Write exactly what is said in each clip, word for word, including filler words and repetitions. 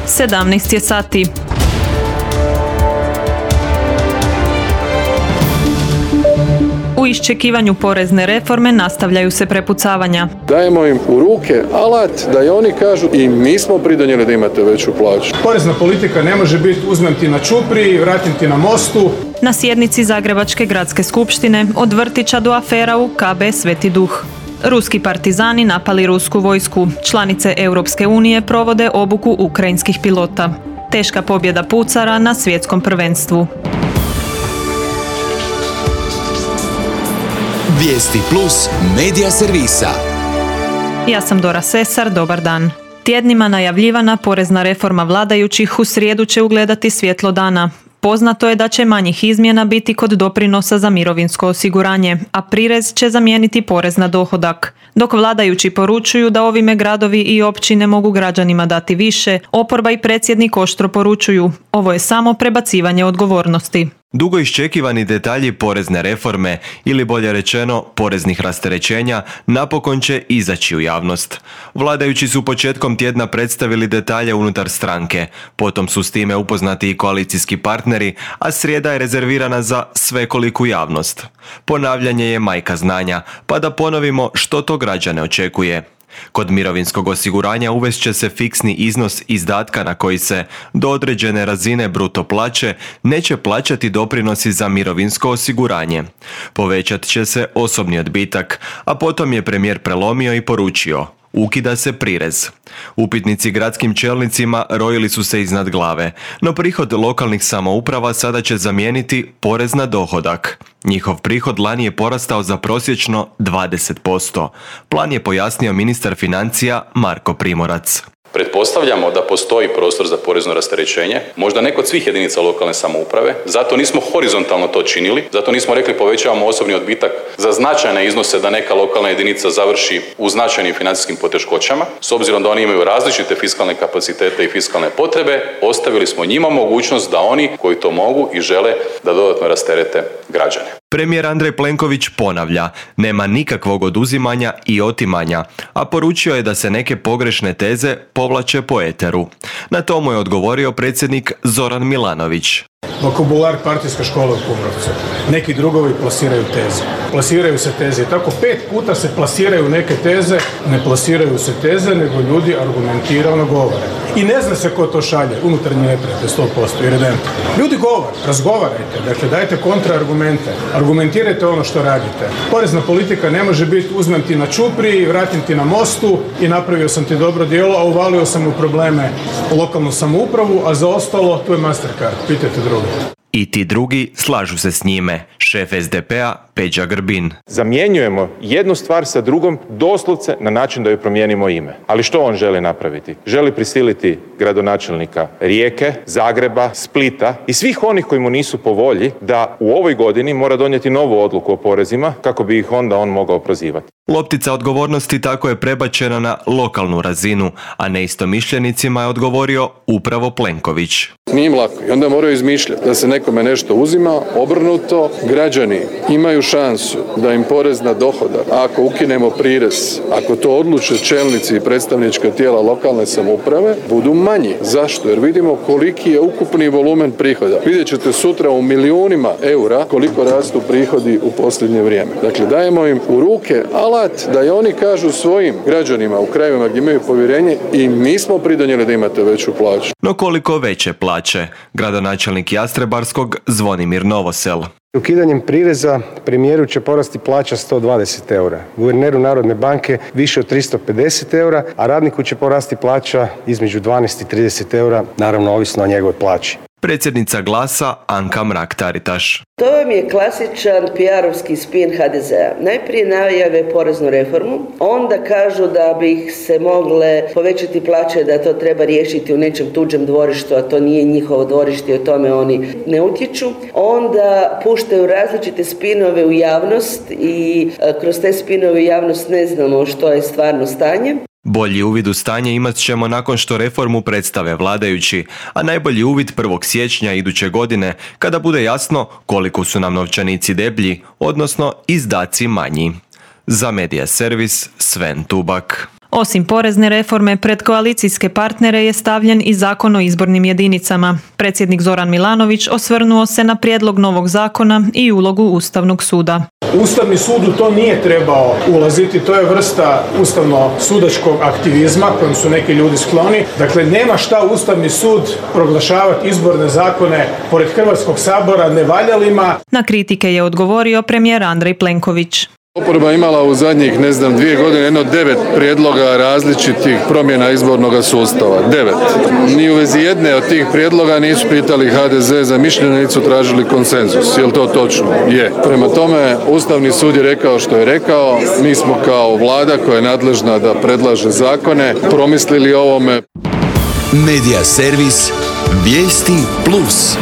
sedamnaest je sati. U iščekivanju porezne reforme nastavljaju se prepucavanja. Dajemo im u ruke alat da i oni kažu i mi smo pridonijeli da imate veću plaću. Porezna politika ne može biti uzmem ti na čupri, vratim ti na mostu. Na sjednici Zagrebačke gradske skupštine od vrtića do afera u K B Sveti Duh. Ruski partizani napali rusku vojsku. Članice Europske unije provode obuku ukrajinskih pilota. Teška pobjeda pucara na svjetskom prvenstvu. Vijesti plus medija servisa. Ja sam Dora Sesar, dobar dan. Tjednima najavljivana porezna reforma vladajućih u srijedu će ugledati svjetlo dana. Poznato je da će manjih izmjena biti kod doprinosa za mirovinsko osiguranje, a prirez će zamijeniti porez na dohodak. Dok vladajući poručuju da ovime gradovi i općine mogu građanima dati više, oporba i predsjednik oštro poručuju, ovo je samo prebacivanje odgovornosti. Dugo iščekivani detalji porezne reforme, ili bolje rečeno poreznih rasterećenja, napokon će izaći u javnost. Vladajući su početkom tjedna predstavili detalje unutar stranke, potom su s time upoznati i koalicijski partneri, a srijeda je rezervirana za svekoliku javnost. Ponavljanje je majka znanja, pa da ponovimo što to građane očekuje. Kod mirovinskog osiguranja uvest će se fiksni iznos izdatka na koji se do određene razine bruto plaće neće plaćati doprinosi za mirovinsko osiguranje. Povećat će se osobni odbitak, a potom je premijer prelomio i poručio: ukida se prirez. Upitnici gradskim čelnicima rojili su se iznad glave, no prihod lokalnih samouprava sada će zamijeniti porez na dohodak. Njihov prihod lani je porastao za prosječno dvadeset posto. Plan je pojasnio ministar financija Marko Primorac. Pretpostavljamo da postoji prostor za porezno rasterećenje, možda ne kod svih jedinica lokalne samouprave, zato nismo horizontalno to činili, zato nismo rekli povećavamo osobni odbitak za značajne iznose da neka lokalna jedinica završi u značajnim financijskim poteškoćama. S obzirom da oni imaju različite fiskalne kapacitete i fiskalne potrebe, ostavili smo njima mogućnost da oni koji to mogu i žele da dodatno rasterete građane. Premijer Andrej Plenković ponavlja, nema nikakvog oduzimanja i otimanja, a poručio je da se neke pogrešne teze povlače po eteru. Na to mu je odgovorio predsjednik Zoran Milanović. Vokabular partijska škola u Kumrovcu. Neki drugovi plasiraju teze. Plasiraju se teze i tako pet puta se plasiraju neke teze, ne plasiraju se teze, nego ljudi argumentirano govore. I ne zna se ko to šalje, unutarnji neprijatelj, sto posto, iredentno. Ljudi govore, razgovarajte, dakle dajte kontraargumente, argumentirajte ono što radite. Porezna politika ne može biti uzmem ti na čupri, vratim ti na mostu i napravio sam ti dobro djelo, a uvalio sam u probleme lokalnu samoupravu, a za ostalo tu je Mastercard, pitajte drugi. I ti drugi slažu se s njime, šef es de pe-a Peđa Grbin. Zamjenjujemo jednu stvar sa drugom doslovce na način da joj promijenimo ime. Ali što on želi napraviti? Želi prisiliti gradonačelnika Rijeke, Zagreba, Splita i svih onih koji mu nisu po volji da u ovoj godini mora donijeti novu odluku o porezima kako bi ih onda on mogao prozivati. Loptica odgovornosti tako je prebačena na lokalnu razinu, a neistomišljenicima je odgovorio upravo Plenković. Nije im lako i onda moraju izmišljati da se nekome nešto uzima, obrnuto. Građani imaju šansu da im porez na dohodak, ako ukinemo prirez, ako to odluče čelnici i predstavnička tijela lokalne samouprave, budu manji. Zašto? Jer vidimo koliki je ukupni volumen prihoda. Vidjet ćete sutra u milijunima eura koliko rastu prihodi u posljednje vrijeme. Dakle, dajemo im u ruke alat da i oni kažu svojim građanima u krajevima gdje imaju povjerenje i mi smo pridonijeli da imate veću plaću. No koliko veće plaće? Gradonačelnik Jastrebarskog Zvonimir Novosel. Ukidanjem prireza premijeru će porasti plaća sto dvadeset eura, guverneru Narodne banke više od tristo pedeset eura, a radniku će porasti plaća između dvanaest i trideset eura, naravno ovisno o njegovoj plaći. Predsjednica Glasa Anka Mrak-Taritaš. To vam je klasičan P R-ovski spin ha de zea. Najprije najave poreznu reformu, onda kažu da bi se mogle povećati plaće, da to treba riješiti u nečem tuđem dvorištu, a to nije njihovo dvorište i o tome oni ne utječu. Onda puštaju različite spinove u javnost i kroz te spinove u javnost ne znamo što je stvarno stanje. Bolji uvid u stanje imat ćemo nakon što reformu predstave vladajući, a najbolji uvid prvog siječnja iduće godine, kada bude jasno koliko su nam novčanici deblji, odnosno izdaci manji. Za Medija servis Sven Tubak. Osim porezne reforme, pred koalicijske partnere je stavljen i Zakon o izbornim jedinicama. Predsjednik Zoran Milanović osvrnuo se na prijedlog novog zakona i ulogu Ustavnog suda. Ustavni sud u to nije trebao ulaziti, to je vrsta ustavno-sudačkog aktivizma kojim su neki ljudi skloni. Dakle, nema šta Ustavni sud proglašavati izborne zakone pored Hrvatskog sabora nevaljalima. Na kritike je odgovorio premijer Andrej Plenković. Oporba imala u zadnjih, ne znam, dvije godine jedno devet prijedloga različitih promjena izbornog sustava. Devet. Ni u vezi jedne od tih prijedloga nisu pitali ha de ze za mišljenje, nisu tražili konsenzus. Je li to točno? Je. Prema tome, Ustavni sud je rekao što je rekao. Mi smo kao vlada koja je nadležna da predlaže zakone promislili o ovome. Medija servis Vijesti plus.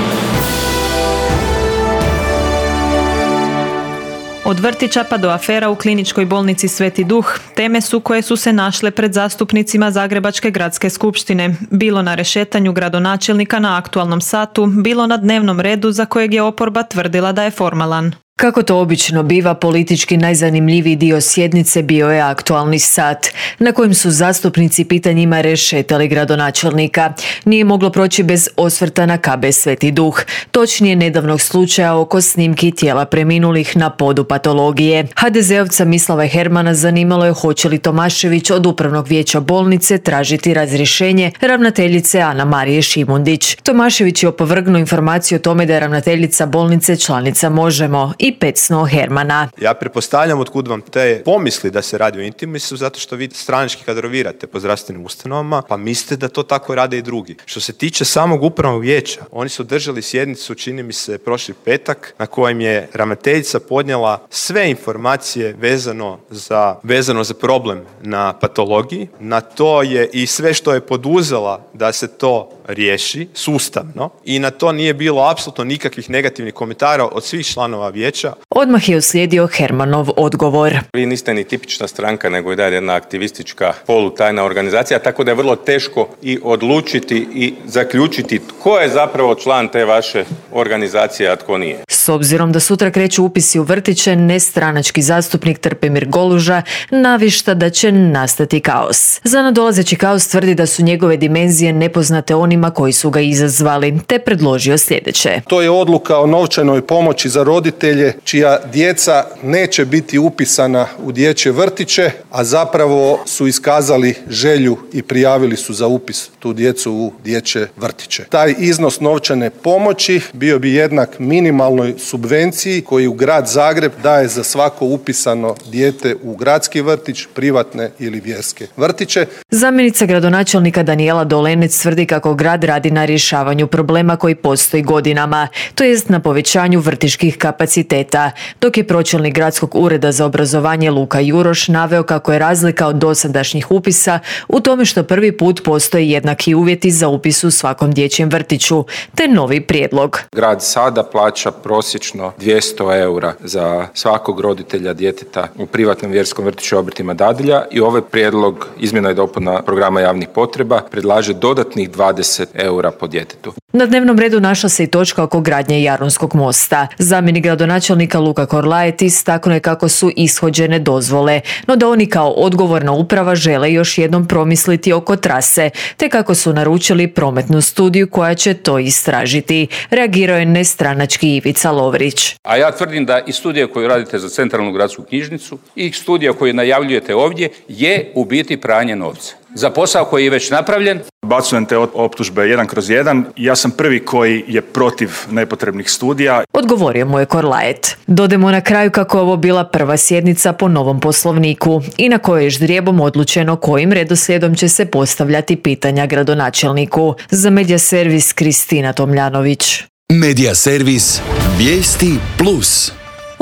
Od vrtića pa do afera u kliničkoj bolnici Sveti Duh, teme su koje su se našle pred zastupnicima Zagrebačke gradske skupštine, bilo na rešetanju gradonačelnika na aktualnom satu, bilo na dnevnom redu za kojeg je oporba tvrdila da je formalan. Kako to obično biva, politički najzanimljiviji dio sjednice bio je aktualni sat, na kojem su zastupnici pitanjima rešetali gradonačelnika. Nije moglo proći bez osvrta na ka be Sveti Duh, točnije nedavnog slučaja oko snimki tijela preminulih na podu patologije. ha de zeovca Mislava Hermana zanimalo je hoće li Tomašević od upravnog vijeća bolnice tražiti razrješenje ravnateljice Ana Marije Šimundić. Tomašević je opovrgnuo informaciju o tome da je ravnateljica bolnice članica Možemo i pecnuo Hermana. Ja pretpostavljam otkud vam te pomisli da se radi o intimisu, zato što vi stranački kadrovirate po zdravstvenim ustanovama, pa mislite da to tako rade i drugi. Što se tiče samog upravnog vijeća, oni su držali sjednicu, čini mi se, prošli petak, na kojem je ravnateljica podnijela sve informacije vezano za, vezano za problem na patologiji. Na to je i sve što je poduzela da se to riješi sustavno i na to nije bilo apsolutno nikakvih negativnih komentara od svih članova vijeća. Odmah je uslijedio Hermanov odgovor. Vi niste ni tipična stranka, nego i dalje jedna aktivistička polutajna organizacija, tako da je vrlo teško i odlučiti i zaključiti tko je zapravo član te vaše organizacije, a tko nije. S obzirom da sutra kreću upisi u vrtiće, nestranački zastupnik Trpimir Goluža navišta da će nastati kaos. Za nadolazeći kaos tvrdi da su njegove dimenzije nepoznate onima koji su ga izazvali, te predložio sljedeće. To je odluka o novčanoj pomoći za roditelje čija djeca neće biti upisana u dječje vrtiće, a zapravo su iskazali želju i prijavili su za upis tu djecu u dječje vrtiće. Taj iznos novčane pomoći bio bi jednak minimalnoj subvenciji koji u grad Zagreb daje za svako upisano dijete u gradski vrtić, privatne ili vjerske vrtiće. Zamjenica gradonačelnika Danijela Dolenec tvrdi kako grad radi na rješavanju problema koji postoji godinama, to jest na povećanju vrtićkih kapaciteta, dok je pročelnik gradskog ureda za obrazovanje Luka Juroš naveo kako je razlika od dosadašnjih upisa u tome što prvi put postoje jednaki uvjeti za upis u svakom dječjem vrtiću, te novi prijedlog. Grad sada plaća prosječno dvjesto eura za svakog roditelja djeteta u privatnom vjerskom vrtiću obrtima dadilja i ovaj prijedlog izmjena i dopuna programa javnih potreba predlaže dodatnih dvadeset eura po djetetu. Na dnevnom redu našla se i točka oko gradnje Jarunskog mosta. Zamjenik gradonačelnika Luka Korlajet istaknuo je kako su ishođene dozvole, no da oni kao odgovorna uprava žele još jednom promisliti oko trase, te kako su naručili prometnu studiju koja će to istražiti. Reagirao je nestranački Ivica Lovrić. A ja tvrdim da i studija koju radite za Centralnu gradsku knjižnicu i studija koju najavljujete ovdje je u biti pranje novca za posao koji je već napravljen. Bacujem te optužbe jedan kroz jedan. Ja sam prvi koji je protiv nepotrebnih studija. Odgovorio mu je Korlajet. Dodemo na kraju kako je ovo bila prva sjednica po novom poslovniku i na kojoj je ždrijebom odlučeno kojim redoslijedom će se postavljati pitanja gradonačelniku. Za Medija servis Kristina Tomljanović. Medija servis Vijesti plus.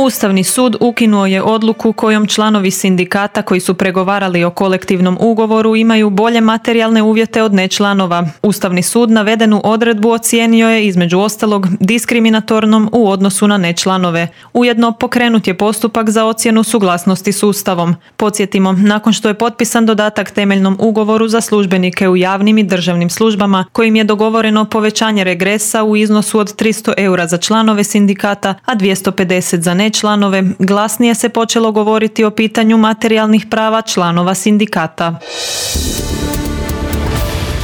Ustavni sud ukinuo je odluku kojom članovi sindikata koji su pregovarali o kolektivnom ugovoru imaju bolje materijalne uvjete od nečlanova. Ustavni sud navedenu odredbu ocijenio je između ostalog diskriminatornom u odnosu na nečlanove. Ujedno pokrenut je postupak za ocjenu suglasnosti s Ustavom. Podsjetimo, nakon što je potpisan dodatak temeljnom ugovoru za službenike u javnim i državnim službama, kojim je dogovoreno povećanje regresa u iznosu od tristo eura za članove sindikata, a dvjesto pedeset za nečlanove, i članove, glasnije se počelo govoriti o pitanju materijalnih prava članova sindikata.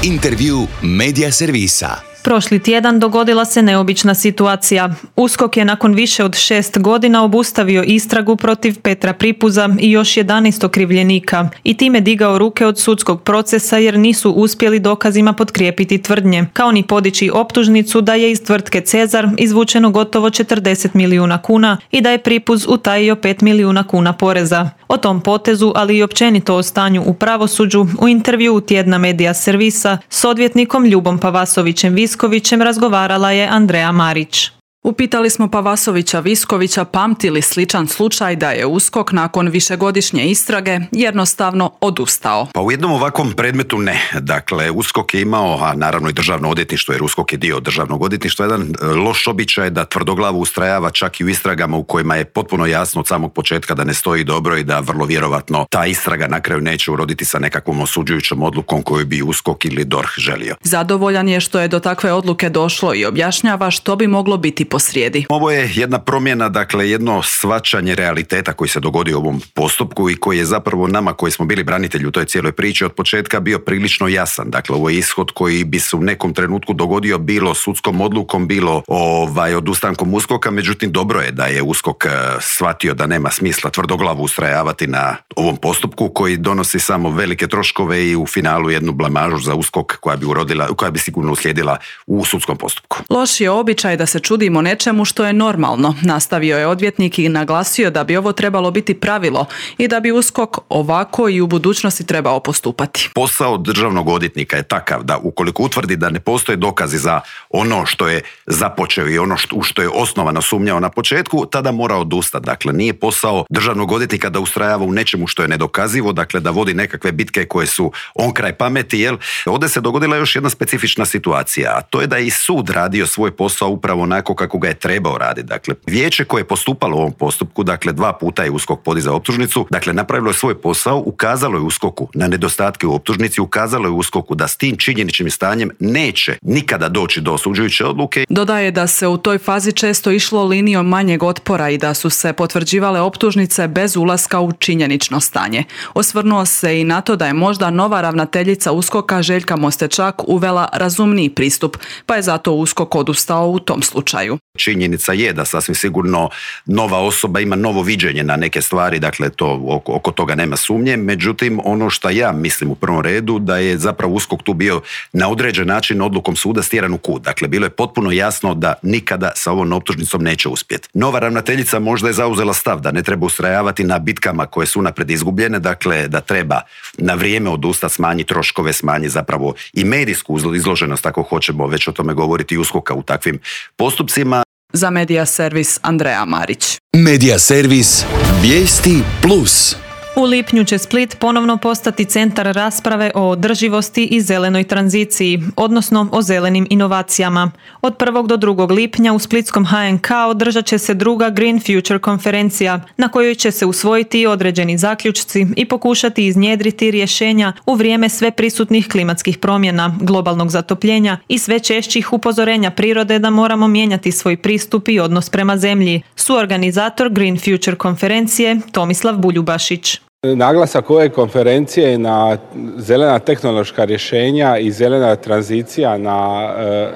Intervju Medija servisa. Prošli tjedan dogodila se neobična situacija. USKOK je nakon više od šest godina obustavio istragu protiv Petra Pripuza i još jedanaest okrivljenika i time digao ruke od sudskog procesa jer nisu uspjeli dokazima potkrijepiti tvrdnje, kao ni podići optužnicu da je iz tvrtke Cezar izvučeno gotovo četrdeset milijuna kuna i da je Pripuz utajio pet milijuna kuna poreza. O tom potezu, ali i općenito o stanju u pravosuđu, u intervjuu tjedna Medija servisa s odvjetnikom Ljubom Pavasovićem Viskovićem razgovarala je Andreja Marić. Upitali smo Pavasovića Viskovića pamti li sličan slučaj da je USKOK nakon višegodišnje istrage jednostavno odustao. Pa u jednom ovakvom predmetu ne. Dakle, USKOK je imao, a naravno i državno odvjetništvo, jer USKOK je dio državnog odvjetništva, jedan loš običaj da tvrdoglavo ustrajava čak i u istragama u kojima je potpuno jasno od samog početka da ne stoji dobro i da vrlo vjerovatno ta istraga na kraju neće uroditi sa nekakvom osuđujućom odlukom koju bi USKOK ili D O R H želio. Zadovoljan je što je do takve odluke došlo i objašnjava što bi moglo biti posrijedi. Ovo je jedna promjena, dakle jedno shvaćanje realiteta koji se dogodio u ovom postupku i koji je zapravo nama koji smo bili branitelji u toj cijeloj priči od početka bio prilično jasan. Dakle, ovo je ishod koji bi se u nekom trenutku dogodio bilo sudskom odlukom, bilo ovaj, odustankom USKOK-a, međutim dobro je da je USKOK shvatio da nema smisla tvrdoglavo ustrajavati na ovom postupku koji donosi samo velike troškove i u finalu jednu blamažu za USKOK koja bi urodila, koja bi sigurno uslijedila u sudskom postupku. Loš je običaj da se čudimo nečemu što je normalno, nastavio je odvjetnik i naglasio da bi ovo trebalo biti pravilo i da bi USKOK ovako i u budućnosti trebao postupati. Posao državnog odvjetnika je takav da ukoliko utvrdi da ne postoje dokazi za ono što je započeo i ono što, što je osnovano sumnjao na početku, tada mora odustati. Dakle, nije posao državnog odvjetnika da ustrajava u nečemu što je nedokazivo, dakle da vodi nekakve bitke koje su on kraj pameti, jel? Ovdje se dogodila još jedna specifična situacija, a to je da je i sud radio svoj posao upravo onako kako ga je trebao raditi. Dakle, vijeće koje je postupalo u ovom postupku, dakle dva puta je USKOK podizao optužnicu, dakle napravilo je svoj posao, ukazalo je USKOK-u na nedostatke u optužnici, ukazalo je USKOK-u da s tim činjeničnim stanjem neće nikada doći do osuđujuće odluke. Dodaje da se u toj fazi često išlo linijom manjeg otpora i da su se potvrđivale optužnice bez ulaska u činjenično stanje. Osvrnuo se i na to da je možda nova ravnateljica USKOK-a Željka Mostečak uvela razumniji pristup, pa je zato USKOK odustao u tom slučaju. Činjenica je da sasvim sigurno nova osoba ima novo viđenje na neke stvari, dakle to oko, oko toga nema sumnje, međutim ono što ja mislim u prvom redu da je zapravo USKOK tu bio na određen način odlukom suda stjeran u kut. Dakle, bilo je potpuno jasno da nikada sa ovom optužnicom neće uspjeti. Nova ravnateljica možda je zauzela stav da ne treba ustrajavati na bitkama koje su unaprijed izgubljene, dakle da treba na vrijeme odustati, smanjiti troškove, smanjiti zapravo i medijsku izloženost, ako hoćemo već o tome govoriti, USKOK-a u takvim postupcima. Za Medija servis Andreja Marić. Medija servis Vijesti plus. U lipnju će Split ponovno postati centar rasprave o održivosti i zelenoj tranziciji, odnosno o zelenim inovacijama. Od prvog do drugog lipnja u splitskom H N K održat će se druga Green Future konferencija, na kojoj će se usvojiti određeni zaključci i pokušati iznjedriti rješenja u vrijeme sve prisutnih klimatskih promjena, globalnog zatopljenja i sve češćih upozorenja prirode da moramo mijenjati svoj pristup i odnos prema zemlji. Suorganizator Green Future konferencije Tomislav Buljubašić. Naglasak ove konferencije je na zelena tehnološka rješenja i zelena tranzicija na,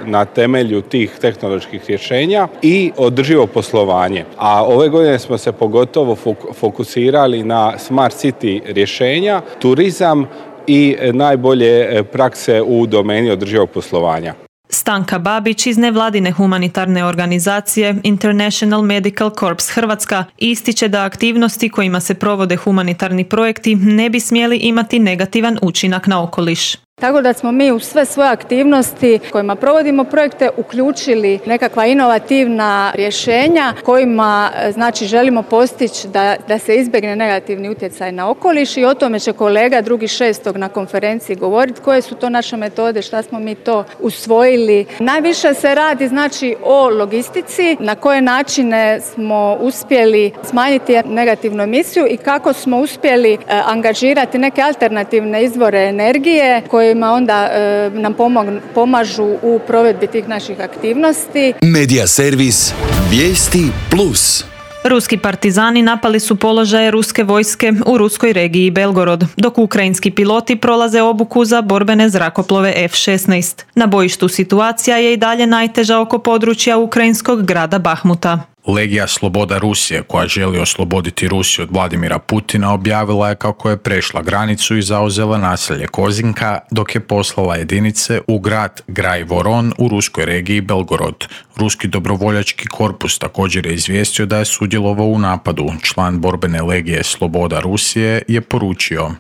na temelju tih tehnoloških rješenja i održivo poslovanje. A ove godine smo se pogotovo fokusirali na smart city rješenja, turizam i najbolje prakse u domeni održivog poslovanja. Stanka Babić iz nevladine humanitarne organizacije International Medical Corps Hrvatska ističe da aktivnosti kojima se provode humanitarni projekti ne bi smjeli imati negativan učinak na okoliš. Tako da smo mi u sve svoje aktivnosti kojima provodimo projekte uključili nekakva inovativna rješenja kojima znači želimo postići da, da se izbjegne negativni utjecaj na okoliš i o tome će kolega drugi šestog na konferenciji govoriti koje su to naše metode, šta smo mi to usvojili. Najviše se radi znači o logistici, na koje načine smo uspjeli smanjiti negativnu emisiju i kako smo uspjeli angažirati neke alternativne izvore energije koje kojima onda e, nam pomog, pomažu u provedbi tih naših aktivnosti. Medija servis Vijesti plus. Ruski partizani napali su položaje ruske vojske u ruskoj regiji Belgorod, dok ukrajinski piloti prolaze obuku za borbene zrakoplove F šesnaest. Na bojištu situacija je i dalje najteža oko područja ukrajinskog grada Bahmuta. Legija Sloboda Rusije, koja želi osloboditi Rusiju od Vladimira Putina, objavila je kako je prešla granicu i zauzela naselje Kozinka, dok je poslala jedinice u grad Graj-Voron u ruskoj regiji Belgorod. Ruski dobrovoljački korpus također je izvijestio da je sudjelovao u napadu. Član borbene legije Sloboda Rusije je poručio: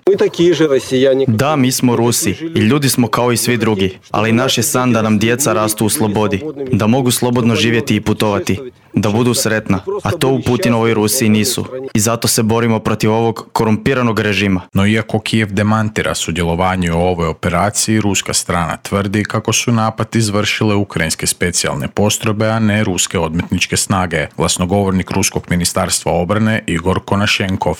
Da, mi smo Rusi i ljudi smo kao i svi drugi, ali naš je san da nam djeca rastu u slobodi, da mogu slobodno živjeti i putovati, da budu sretna, a to u Putinovoj Rusiji nisu. I zato se borimo protiv ovog korumpiranog režima. No iako Kijev demantira sudjelovanje u ovoj operaciji, ruska strana tvrdi kako su napad izvršile ukrajinske specijalne postrojbe, a ne ruske odmetničke snage. Glasnogovornik ruskog ministarstva obrane Igor Konašenkov.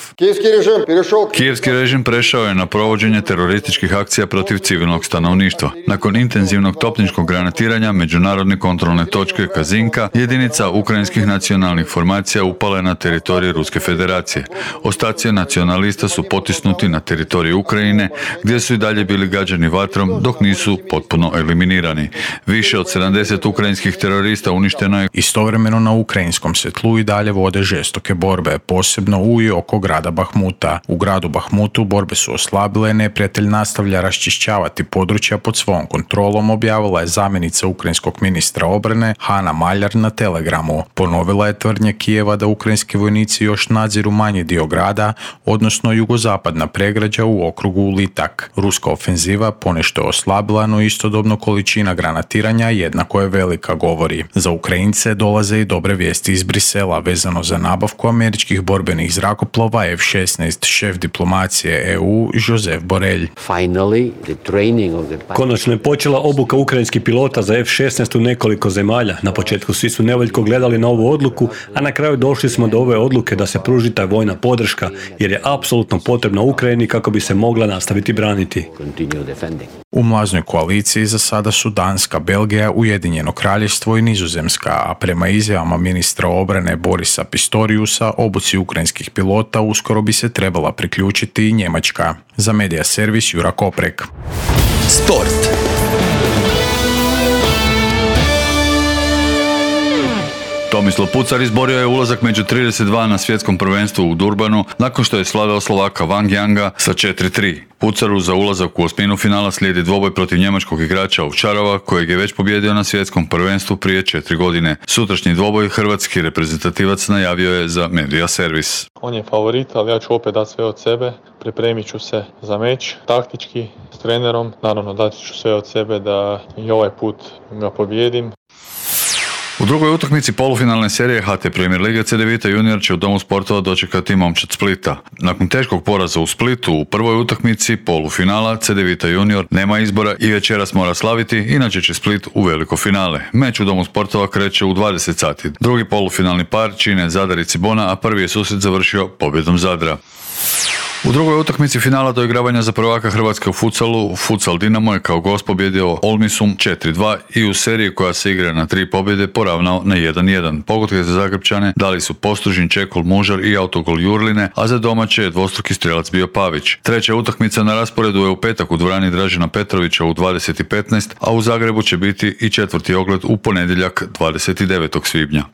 Kijevski režim prešao je na provođenje terorističkih akcija protiv civilnog stanovništva. Nakon intenzivnog topničkog granatiranja međunarodne kontrolne točke Kazinka, jedinica ukrajinskih nacionalnih formacija upala je na teritorij Ruske federacije. Ostaci nacionalista su potisnuti na teritorij Ukrajine, gdje su i dalje bili gađani vatrom dok nisu potpuno eliminirani. Više od sedamdeset ukrajinskih terorista uništeno je. Istovremeno na ukrajinskom se tlu i dalje vode žestoke borbe, posebno u i oko grada Bahmuta. U gradu Bahmutu borbe su oslabile, neprijatelj nastavlja raščišćavati područja pod svom kontrolom, objavila je zamjenica ukrajinskog ministra obrane Hana Maljar na Telegramu. Ponovila je tvrdnje Kijeva da ukrajinski vojnici još nadziru manji dio grada, odnosno jugozapadna pregrađa u okrugu Litak. Ruska ofenziva ponešto je oslabila, no istodobno količina granatiranja jednako je velika, govori. Za Ukrajince dolaze i dobre vijesti iz Brisela vezano za nabavku američkih borbenih zrakoplova F šesnaest. Šef diplomacije E U Josep Borrell. Konačno je počela obuka ukrajinskih pilota za F šesnaest u nekoliko zemalja. Na početku svi su nevoljko gledali na ovu odluku, a na kraju došli smo do ove odluke da se pruži ta vojna podrška, jer je apsolutno potrebna Ukrajini kako bi se mogla nastaviti braniti. U mlaznoj koaliciji za sada su Danska, Belgija, Ujedinjeno kraljevstvo i Nizozemska, a prema izjavama ministra obrane Borisa Pistoriusa, obuci ukrajinskih pilota uskoro bi se trebala priključiti i Njemačka. Za Medija servis Jura Koprek. Sport. Tomislav Pucar izborio je ulazak među trideset dva na svjetskom prvenstvu u Durbanu nakon što je slavio Slovaka Wang Yanga sa četiri tri. Pucaru za ulazak u osminu finala slijedi dvoboj protiv njemačkog igrača Ovčarova, kojeg je već pobjedio na svjetskom prvenstvu prije četiri godine. Sutrašnji dvoboj hrvatski reprezentativac najavio je za Medija servis. On je favorit, ali ja ću opet dati sve od sebe. Pripremit ću se za meč, taktički, s trenerom. Naravno, dati ću sve od sebe da i ovaj put ga pobjedim. U drugoj utakmici polufinalne serije H T Premier Lige C D Vita Junior će u Domu sportova dočekati momčad Splita. Nakon teškog poraza u Splitu u prvoj utakmici polufinala C D Vita Junior nema izbora i večeras mora slaviti, inače će Split u veliko finale. Meč u Domu sportova kreće u dvadeset sati. Drugi polufinalni par čine Zadar i Cibona, a prvi je susret završio pobjedom Zadra. U drugoj utakmici finala doigravanja za prvaka Hrvatske u futsalu, Futsal Dinamo je kao gost pobjedio Olmisum četiri dva i u seriji koja se igra na tri pobjede poravnao na jedan jedan. Pogodke za Zagrepčane dali su Postružin, Čekol, Mužar i autogol Jurline, a za domaće je dvostruki strelac bio Pavić. Treća utakmica na rasporedu je u petak u dvorani Dražena Petrovića u dvadeset petnaest, a u Zagrebu će biti i četvrti ogled u ponedjeljak dvadeset devetog svibnja.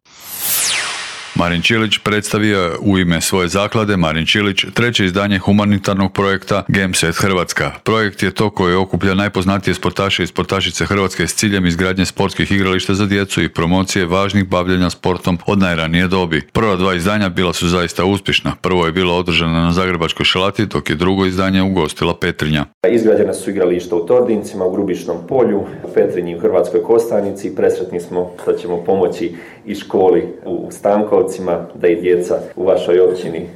Marin Čilić predstavio je u ime svoje zaklade Marin Čilić treće izdanje humanitarnog projekta Gameset Hrvatska. Projekt je to koji okuplja najpoznatije sportaše i sportašice Hrvatske s ciljem izgradnje sportskih igrališta za djecu i promocije važnih bavljenja sportom od najranije dobi. Prva dva izdanja bila su zaista uspješna. Prvo je bilo održano na Zagrebačkoj Šalati, dok je drugo izdanje ugostila Petrinja. Izgrađena su igrališta u Tordincima, u Grubišnom polju, u Petrinji, u Hrvatskoj Kostajnici. Presretni smo da ćemo pomoći i školi u Stankovcima, da i djeca u vašoj općini e,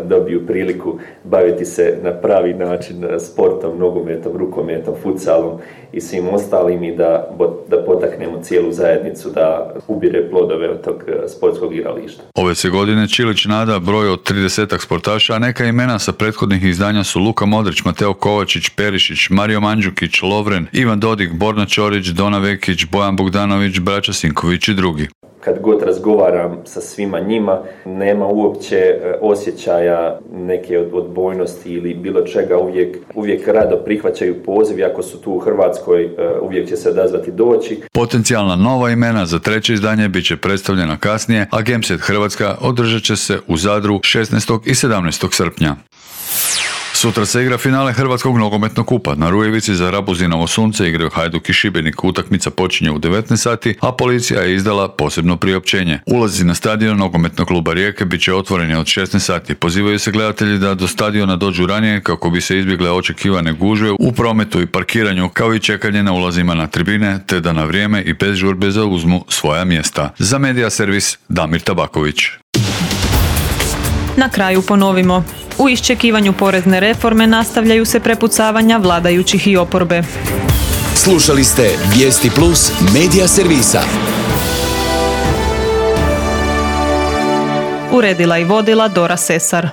dobiju priliku baviti se na pravi način sportom, nogometom, rukometom, futsalom i svim ostalim i da, da potaknemo cijelu zajednicu da ubire plodove od tog sportskog igrališta. Ove se godine Čilić nada broj od tridesetak sportaša, a neka imena sa prethodnih izdanja su Luka Modrić, Mateo Kovačić, Perišić, Mario Mandžukić, Lovren, Ivan Dodik, Borna Ćorić, Dona Vekić, Bojan Bogdanović, braća Sinković i drugi. kad god razgovaram sa svima njima, nema uopće osjećaja neke odbojnosti ili bilo čega, uvijek, uvijek rado prihvaćaju poziv, ako su tu u Hrvatskoj uvijek će se odazvati doći. Potencijalna nova imena za treće izdanje bit će predstavljena kasnije, a Gameset Hrvatska održat će se u Zadru šesnaestog i sedamnaestog srpnja. Sutra se igra finale Hrvatskog nogometnog kupa. Na Rujevici za Rabuzinovo sunce igraju Hajduk i Šibenik. Utakmica počinje u devetnaest sati, a policija je izdala posebno priopćenje. Ulazi na stadion nogometnog kluba Rijeke bit će otvoreni od šesnaest sati. Pozivaju se gledatelji da do stadiona dođu ranije kako bi se izbjegle očekivane gužve u prometu i parkiranju, kao i čekanje na ulazima na tribine, te da na vrijeme i bez žurbe zauzmu svoja mjesta. Za Medija servis Damir Tabaković. Na kraju ponovimo. U iščekivanju porezne reforme nastavljaju se prepucavanja vladajućih i oporbe. Slušali ste Vijesti Plus Medija servisa. Uredila i vodila Dora Sesar.